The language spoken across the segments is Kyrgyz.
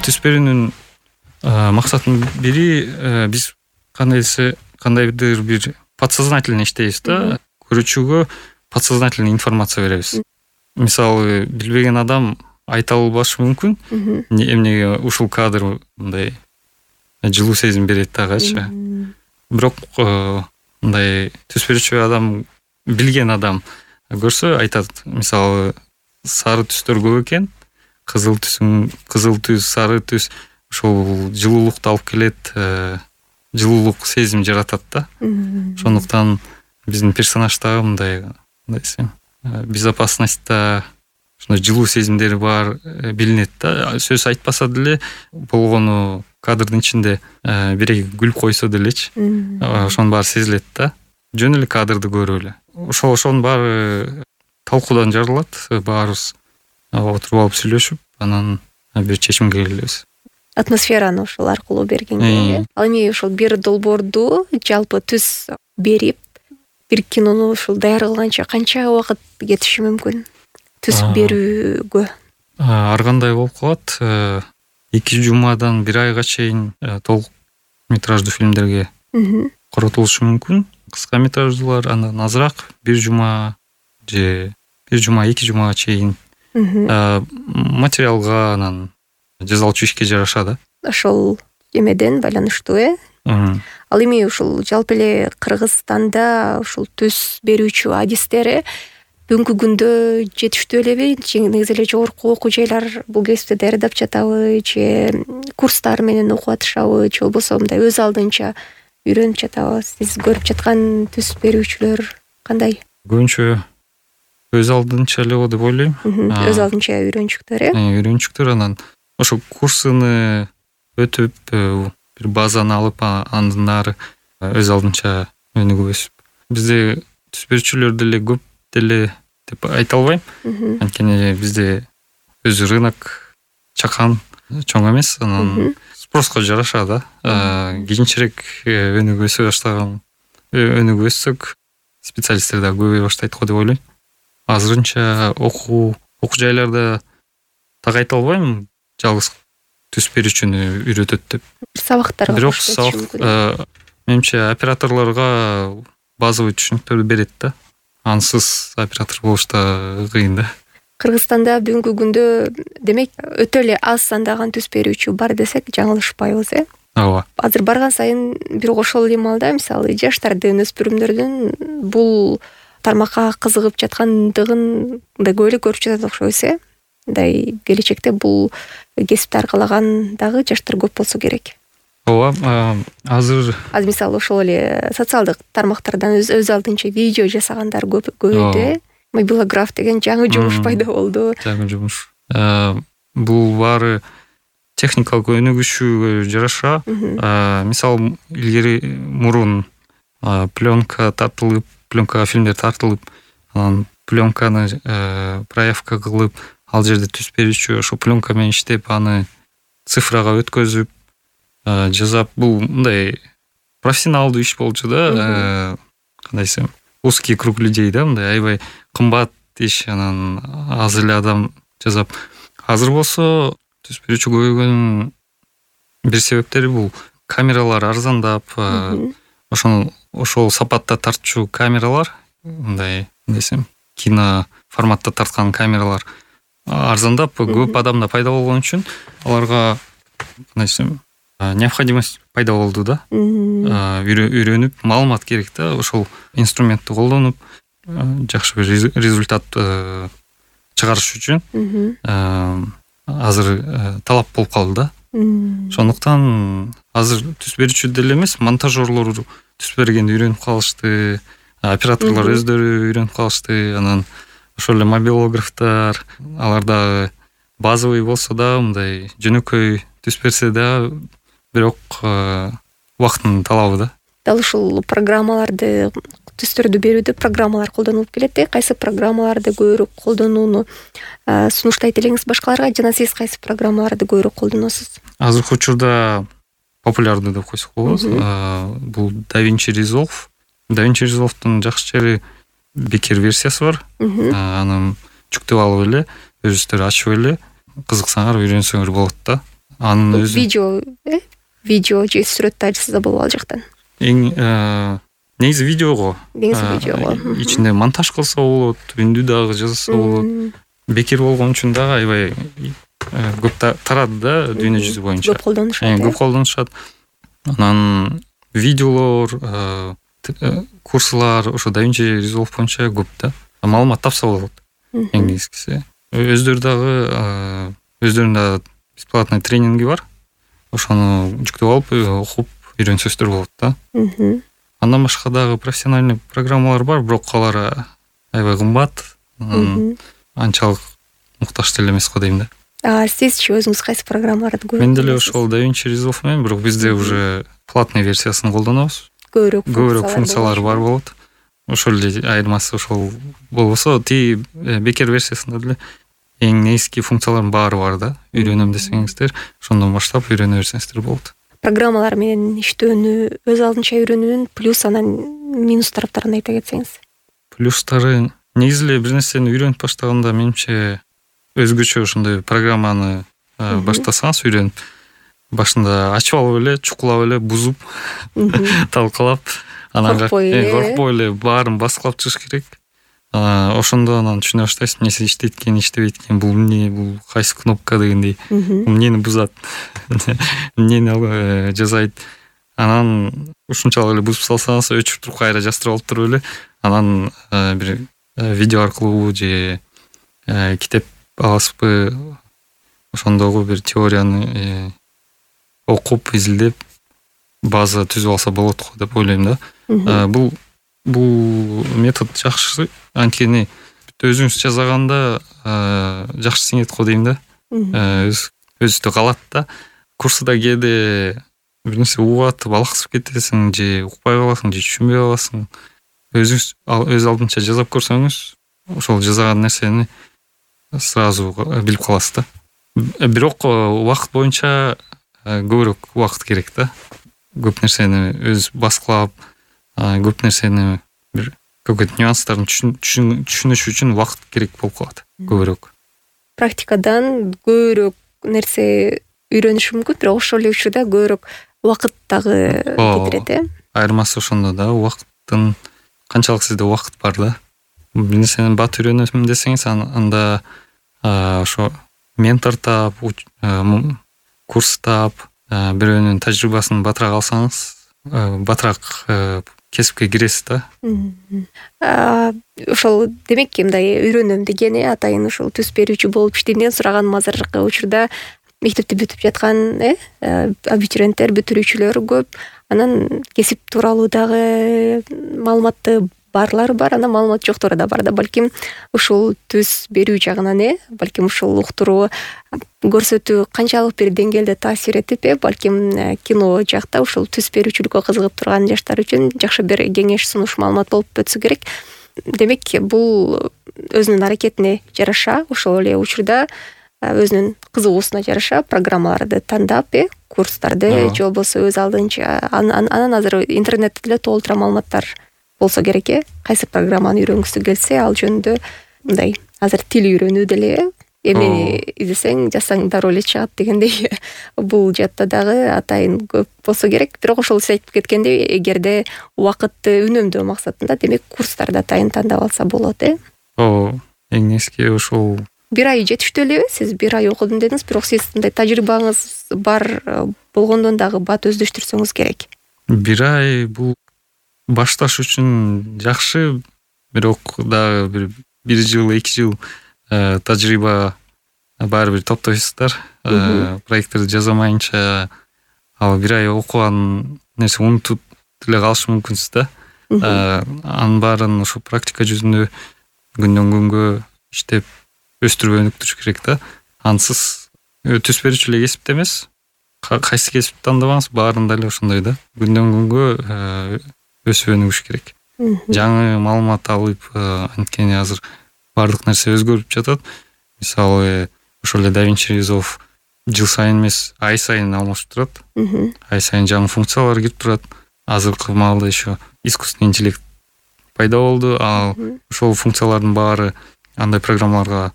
түз берүүнүн максатынын бири биз кандайдыр бир подсознательно иштейбиз да. Көрүүчүгө подсознательно информация беребиз. Мисалы, билбеген адам айта албашы мүмкүн. Эмнеге ушул кадр мындай жылуу сезим берет дагычы. Бирок мындай түз берүүчү адам, билген адам көрсө айтат. Мисалы, сары түстөр көп экен. Кызыл түс, сары түс ошол жылуулукту алып келет, жылуулук сезим жаратат да. Ошондуктан биздин персонажда мындай десем, безопасностьта ошондой жылуу сезимдери бар билинет да. Сөз айтпаса деле болгону кадрдын ичинде бирей күлүп койсо делечи, ошонун баары сезилет да. Жөн эле кадрды көрүп эле. Ошонун баары талкуудан жарылат. Баарыбыз отуруп алып сүйлөшүп, анан бир чечимге келебиз. Атмосфераны ошол аркылуу бергенге. Ал эми ошол бир долбоорду жалпы түз берип, бир кинону ушул даяр кылганча канча убакыт кетиши мүмкүн? Түз берүүгө. Ар кандай болуп калат. 2 жумадан 1 айга чейин толук метраждуу фильмдерге коротулушу мүмкүн. Кыска метраждуулар андан азыраак, 1 жума же 1 жума 2 жумага чейин. Материалга анан жазалчу ишке жараша да. Ошол эмеден байланыштуу, Ал эми ушул жалпы эле Кыргызстанда ушул түз берүүчү адистери бүгүнкү күндө жетиштүү элеби? Негизи эле жогорку окуу жайлар бул кесипти даярдап жатабы, же курстар менен окуп атышабы, же болбосо мындай өз алдынча үйрөнүп жатабы? Сиз көрүп жаткан түз берүүчүлөр кандай? Көбүнчө өз алдынча эле деп ойлойм. Өз алдынча үйрөнчүктөр, Үйрөнчүктөр анан ошо курсуну өтүп, бир базаны алып, андан ары өз алдынча өнүгүбүз. Бизде түз берүүчүлөр деле көп деле деп айта албайм. Анткени бизде өзү рынок чакан, чоң эмес. Анан спроско жараша да. Кийинчерээк өнүгүбөссөк, специалисттер да көбөйө баштайт го деп ойлойм. Азырынча окуу жайларда так айта албайм, жалгыз түз берүүчүнү үйрөтөт деп. Сабактарга бирок менимче операторлорго базовый түшүнүктөрдү берет да. Ансыз оператор болуш да кыйын да. Кыргызстанда бүгүнкү күндө демек өтө эле аз сандаган түз берүүчү бар десек жаңылышпайбыз, Ооба. Азыр барган сайын бирок ошол эле маалда мисалы жаштардын, өспүрүмдөрдүн бул тармакка кызыгып жаткандыгын көп эле көрүп жатат окшойбуз, Мындай келечекте бул кесипти аркалаган дагы жаштар көп болсо керек. Ооба, азыр Мисалы ошол эле социалдык тармактардан өз алдынча видео жасагандар көбөйдү. Мобилограф деген жаңы жумуш пайда болду. Жаңы жумуш. Бул баары техникалык өнүгүшүгө жараша. Мисалы, илгери мурун пленкага фильмдер тартылып, анан пленканы проявка кылып, ал жерде түз берүүчү ошо пленка менен иштеп, аны цифрага өткөзүп жасап, бул мындай профессионалдуу иш болчу да. Кандай десем, узкий круг людей да, мындай аябай кымбат иш, анан аз эле адам жасап. Азыр болсо түз берүүчү көбөйгөнүн бир себептери бул камералар арзандап, ошол сапатта тартчу камералар, мындай десем, кино форматта тарткан камералар арзандап, көп адамда пайда болгон үчүн аларга кандай десем, необходимость пайда болду да. Үйрөнүп, маалымат керек да, ошол инструментти колдонуп жакшы бир результат чыгарыш үчүн азыр талап болуп калды да. Ошондуктан азыр түз берүүчү деле эмес, монтажерлор түз бергенди үйрөнүп калышты, операторлор өздөрү үйрөнүп калышты. Анан ошол эле мобилографтар, алар дагы базовый болсо да, мындай жөнөкөй түз берсе да, бирок убактын талабы да. Дал ушул программаларды, түздөрдү берүүдө программалар колдонулуп келет. Кайсы программаларды көбүрөөк колдонууну сунуштайт элеңиз башкаларга, жана сиз кайсы программаларды көбүрөөк колдоносуз? Азыркы учурда популярдуу деп койсок болот. Бул DaVinci Resolve. DaVinci Resolve'дун жакшы жери бекер версиясы бар. Аны жүктөп алып эле, өзүңүздөр ачып эле, кызыксаңар үйрөнсөңөр болот да. анын өзү видео же сүрөт тажсыз да болобу ал жактан? Негизи видеого. Ичинде монтаж кылса болот, үндү дагы жазса болот. Бекер болгон үчүн дагы аябай көп тарады да дүйнө жүзү боюнча. Көп колдонушат. Анан видеолор, курслар ошо DaVinci Resolve боюнча көп да. Маалымат тапса болот. Эң негизгиси. Өздөрүнүн да бесплатный тренинги бар. Ошону жүктөп алып, окуп үйрөнсөздөр болот да. Андан башка дагы профессиональный программалар бар, бирок алар аябай кымбат. Анчалык муктаж деле эмес го дейм да. Сизчи өзүңүз кайсы программаларды колдоносуз? Мен деле ошол DaVinci Resolve менен, бирок бизде уже платный версиясын колдонобуз. Көбүрөөк функциялары бар болот. Ошол эле айырмасы ошол болбосо, бекер версиясында деле эң негизги функциялардын баары бар да. Үйрөнөм десеңиздер, ошондон баштап үйрөнө берсеңиздер болот. Программалар менен иштөөнү өз алдынча үйрөнүүнүн плюс анан минус тараптарын айта кетсеңиз. Плюстары негизи эле бир нерсени үйрөнүп баштаганда менимче өзгөчө ошондой программаны баштасаңыз үйрөнүп, башында ачып алып эле, чукулап эле, бузуп, талкалап, анан коркпой эле баарын баскылап чыгыш керек. Ошондо анан түшүнө баштайсыз, эмнеси иштейт экен, иштебейт экен, бул эмне, бул кайсы кнопка дегендей, эмнени бузат, эмнени жасайт. Анан ушунчалык эле бузуп салсаңыз, өчүрүп туруп кайра жастырып алып туруп эле, анан бир видео аркылуу же китеп аласызбы, ошондогу бир теорияны окуп, изилдеп, база түзүп алса болот го деп ойлойм да. Бул метод жакшы, анткени өзүңүз жасаганда жакшы сиңет го дейм да. Өзүдө калат да. Курсда кээде бир нерсе угатып алаксып кетесиң, же укпай каласың, же түшүнбөй каласың. Өзүңүз өз алдынча жасап көрсөңүз, ошол жасаган нерсени сразу билип каласыз да. Бирок убакыт боюнча көбүрөөк убакыт керек да. Көп нерсени өз баскылап, көп нерсени бир көбүк нюанстарын түшүнүш үчүн убакыт керек болуп калат көбүрөөк. Практикадан көбүрөөк нерсе үйрөнүш мүмкүн, бирок ошол эле учурда көбүрөөк убакыт дагы кетирет. Айырмасы ошондо да, убакыттын канчалык сизде убакыт бар да. Бир нерсени бат үйрөнөм десеңиз, анда ошо ментор таап, курс таап, бирөөнүн тажрыйбасын батыраак алсаңыз, батыраак кесипке киресиз да. Ошол демек мындай үйрөнөм деген атайын ошол түз берүүчү болуп иштейм деген сураганым азыркы учурда мектепти бүтүп жаткан абитуриенттер, бүтүрүүчүлөр көп. Анан кесип тууралуу дагы маалыматы барлары бар, анан маалымат жоктору да бар да. Балким ушул түз берүү жагынан балким ушул уктуруу көрсөтүү канчалык бир деңгээлде таасир этип, балким кино жакта ушул түз берүүчүлүккө кызыгып турган жаштар үчүн жакшы бир кеңеш сунуш маалымат болуп өтсө керек. Демек бул өзүнүн аракетине жараша, ошол эле учурда өзүнүн кызыгуусуна жараша программаларды тандап, курстарды же болбосо өз алдынча анан азыр интернетте деле толтура маалыматтар болсо керек. Кайсы программаны үйрөнгүсү келсе, ал жөнүндө мындай азыр тил үйрөнүү деле эмнени издесең жазсаң дароо эле чыгат дегендей бул жатта дагы атайын көп болсо керек. Бирок ошол сиз айтып кеткендей, эгерде убакытты үнөмдөө максатында, демек курстарды атайын тандап алса болот. Эң негизги ошол. Бир ай жетиштүү элеби? Сиз бир ай окудум дедиңиз, бирок сиз мындай тажрыйбаңыз бар болгондон дагы бат өздөштүрсөңүз керек. Бир ай бул башташ үчүн жакшы, бирок дагы бир жыл, 2 жыл тажрыйба баары бир топтойсуздар. Проекттерди жасамайынча ал бир ай окуган нерсе унутуп деле калышы мүмкүнсүз да. Анын баарын ошо практика жүзүндө күндөн күнгө иштеп өстүрүп өнүктүрүш керек да. Ансыз түз берүүчү эле кесипте эмес, кайсы кесипти тандабаңыз, баарында эле ошондой да. Күндөн күнгө өсүп өнүгүш керек. Жаңы маалымат алып, анткени азыр баардык нерсе өзгөрүп жатат. Мисалы, ошол эле DaVinci Resolve жыл сайын эмес, ай сайын алмашып турат. Ай сайын жаңы функциялар кирип турат. Азыркы маалда еще искусственный интеллект пайда болду. Ал ошол функциялардын баары андай программаларга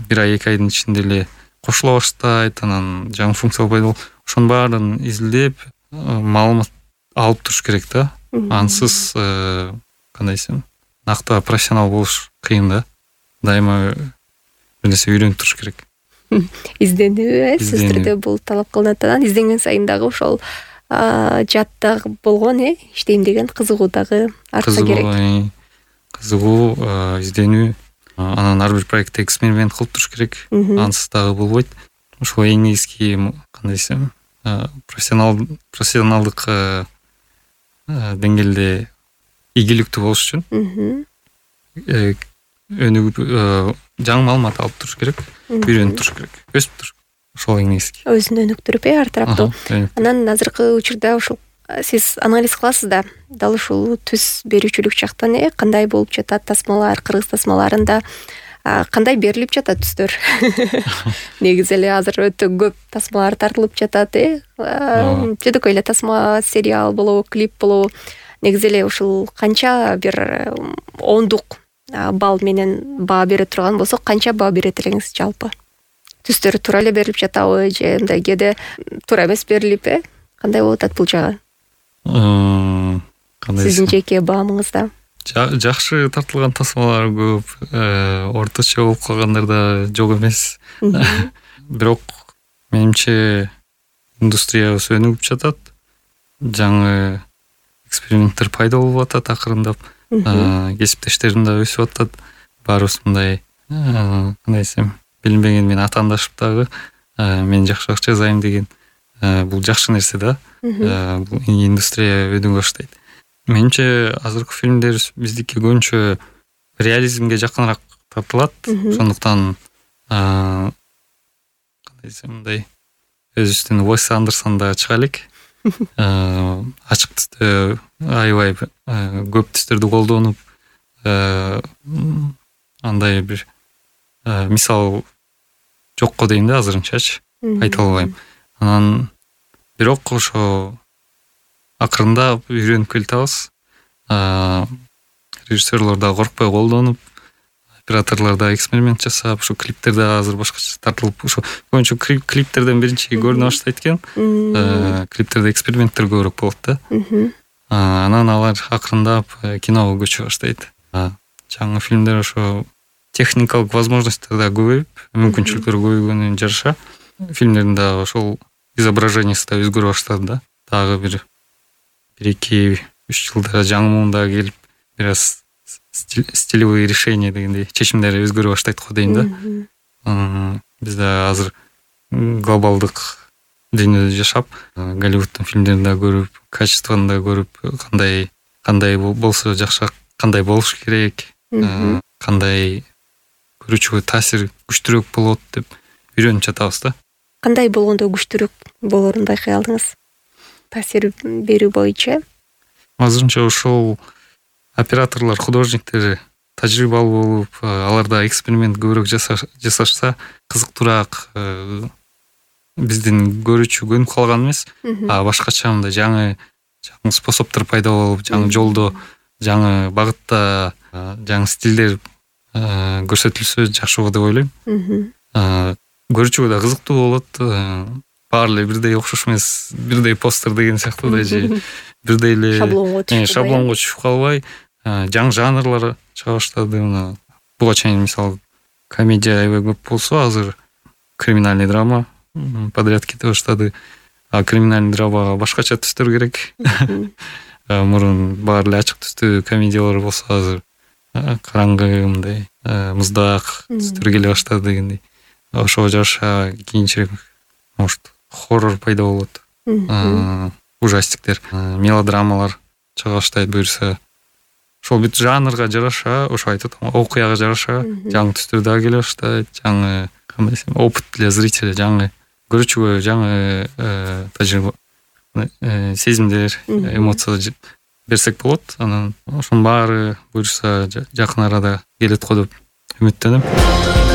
бир ай, 2 айдын ичинде эле кошула баштайт, анан жаңы функциялар пайда болуп, ошонун баарын изилдеп маалымат алып туруш керек да. Ансыз кандай десем, накта профессионал болуш кыйын да. Дайыма бир нерсе үйрөнүп туруш керек. Изденүү, сөзсүз түрдө бул талап кылынат. Анан изденген сайын дагы ошол жааттаг болгон, иштейм деген кызыгуу дагы артса керек. Кызыгуу, изденүү, анан ар бир проектте эксперимент кылып туруш керек. Ансыз дагы болбойт. Ошол эң негизги, кандай десем, профессионалдык деңгээлде ийгиликтүү болуш үчүн өнүгүп, жаңы маалымат алып туруш керек, үйрөнүп туруш керек, өсүп туруш. Ошол эң негизги. Өзүн өнүктүрүп, ар тараптуу. Анан азыркы учурда ушул сиз анализ кыласыз да, дал ушул түз берүүчүлүк жактан кандай болуп жатат, тасмалар, кыргыз тасмаларында кандай берилип жатат түстөр? Негизи эле азыр өтө көп тасмалар тартылып жатат, жөнөкөй эле тасма, сериал болобу, клип болобу. Негизи эле ушул канча бир ондук балл менен баа бере турган болсок, канча баа берет элеңиз жалпы? Түстөр туура эле берилип жатабы же мындай кээде туура эмес берилип, кандай болуп атат бул жагы? Сиздин жеке баамыңызда? Жакшы тартылган тасмалар көп, орточо болуп калгандар да жок эмес. Бирок менимче индустриябыз өнүгүп жатат. Жаңы эксперименттер пайда болуп атат акырындап. Кесиптештерим да өсүп атат. Баарыбыз мындай, кандай десем, билинбеген мен атаандашып дагы мен жакшы акча жазайм деген, бул жакшы нерсе да. Бул индустрия өнүгө баштайт. Менимче азыркы фильмдер биздики көбүнчө реализмге жакыныраак тартылат. Ошондуктан кандай десем, мындай өзүбүздүн Уэс Андерсон да чыга элек. Ачык түстө аябай көп түстөрдү колдонуп, андай бир мисал жокко дейм да азырынчачы, айта албайм. Анан бирок ошо акырындап үйрөнүп келатабыз. Режиссерлор да коркпой колдонуп, операторлор да эксперимент жасап, ушу клиптер да азыр башкача тартылып, ушу көбүнчө клиптерден биринчи көрүнө баштайт экен. Клиптерде эксперименттер көбүрөөк болот да. Анан алар акырындап киного көчө баштайт. Жаңы фильмдер ошо техникалык возможностьтер да көбөйүп, мүмкүнчүлүктөр көбөйгөнүнө жараша фильмдердин да ошол изображениясы да өзгөрө баштады да. Дагы бир 2-3 жылда жаңы муунда келип, бир аз стилевые решения дегендей чечимдер өзгөрө баштайт го дейм да. Бизде азыр глобалдык дүйнөдө жашап, Голливуддун фильмдерин да көрүп, качествону да көрүп, кандай болсо жакшы, кандай болуш керек, кандай көрүүчүгө таасир күчтүүрөөк болот деп үйрөнүп жатабыз да. Кандай болгондо күчтүүрөөк болорун байкай алдыңыз? Таасир берүү боюнча? Азырынча ошол операторлор, художниктер тажрыйбалуу болуп, аларда эксперимент көбүрөөк жасашса, кызыктуураак биздин көрүүчү көнүп калган эмес, башкача мындай жаңы способдор пайда болуп, жаңы жолдо, жаңы багытта, жаңы стилдер көрсөтүлсө жакшы болот деп ойлойм. Көрүүчүгө да кызыктуу болот. Баары эле бирдей окшош эмес, бирдей постер деген сыяктуу да же бирдей эле шаблонго түшүп калбай, жаңы жанрлар чыга баштады. Буга чейин мисалы комедия аябай көп болсо, азыр криминальный драма подряд кете баштады. Криминальный драмага башкача түстөр керек. Мурун баары эле ачык түстүү комедиялар болсо, азыр караңгы, мындай муздак түстөр келе баштады дегендей. Ошого жараша кийинчерээк может хоррор пайда болот, ужастиктер, мелодрамалар чыга баштайт буюрса. Ошол бүт жанрга жараша, ошо айтып атам, окуяга жараша жаңы түстөр да келе баштайт, жаңы, кандай десем, опыт для зрителя, жаңы көрүүчүгө жаңы тажрыйба, сезимдер, эмоция берсек болот. Анан ошонун баары буюрса жакын арада келет го деп үмүттөнөм.